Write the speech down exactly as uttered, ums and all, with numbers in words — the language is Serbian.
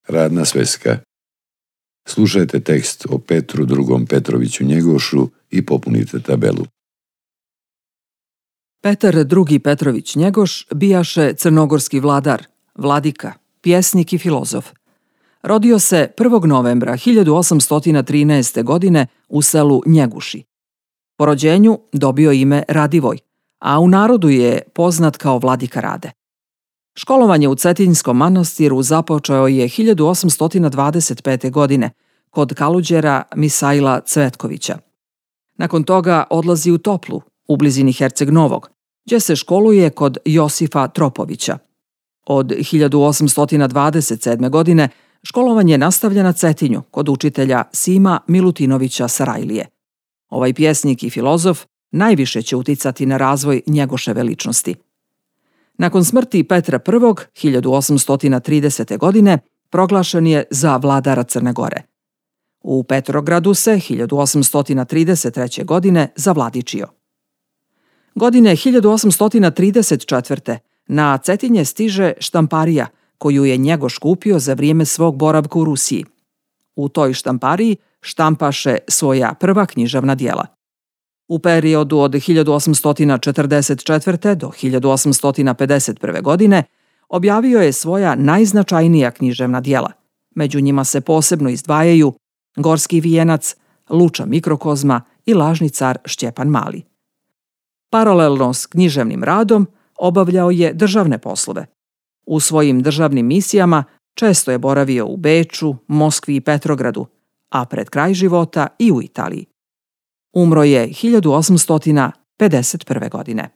Radna sveska. Slušajte tekst o Petru drugom Petroviću Njegošu i popunite tabelu. Petar drugi Petrović Njegoš bijaše crnogorski vladar, vladika, pjesnik i filozof. Rodio se prvog novembra hiljadu osamsto trinaeste. godine u selu Njeguši. Po rođenju dobio ime Radivoj, a u narodu je poznat kao Vladika Rade. Školovanje u Cetinjskom manastiru započeo je hiljadu osamsto dvadeset pete. godine kod kaluđera Misaila Cvetkovića. Nakon toga odlazi u Toplu, u blizini Herceg Novog, gdje se školuje kod Josifa Tropovića. Od hiljadu osamsto dvadeset sedme. godine školovanje nastavlja na Cetinju kod učitelja Sima Milutinovića Sarajlije. Ovaj pjesnik i filozof najviše će uticati na razvoj Njegoševe ličnosti. Nakon smrti Petra prvog. hiljadu osamsto tridesete. godine proglašen je za vladara Crne Gore. U Petrogradu se hiljadu osamsto trideset treće. godine zavladičio. Godine hiljadu osamsto trideset četvrte. na Cetinje stiže štamparija koju je Njegoš kupio za vrijeme svog boravka u Rusiji. U toj štampariji štampaše svoja prva književna djela. U periodu od hiljadu osamsto četrdeset četvrte. do hiljadu osamsto pedeset prve. godine objavio je svoja najznačajnija književna djela. Među njima se posebno izdvajaju Gorski vijenac, Luča mikrokozma i Lažni car Šćepan Mali. Paralelno s književnim radom obavljao je državne poslove. U svojim državnim misijama često je boravio u Beču, Moskvi i Petrogradu, a pred kraj života i u Italiji. Umro je hiljadu osamsto pedeset prve. godine.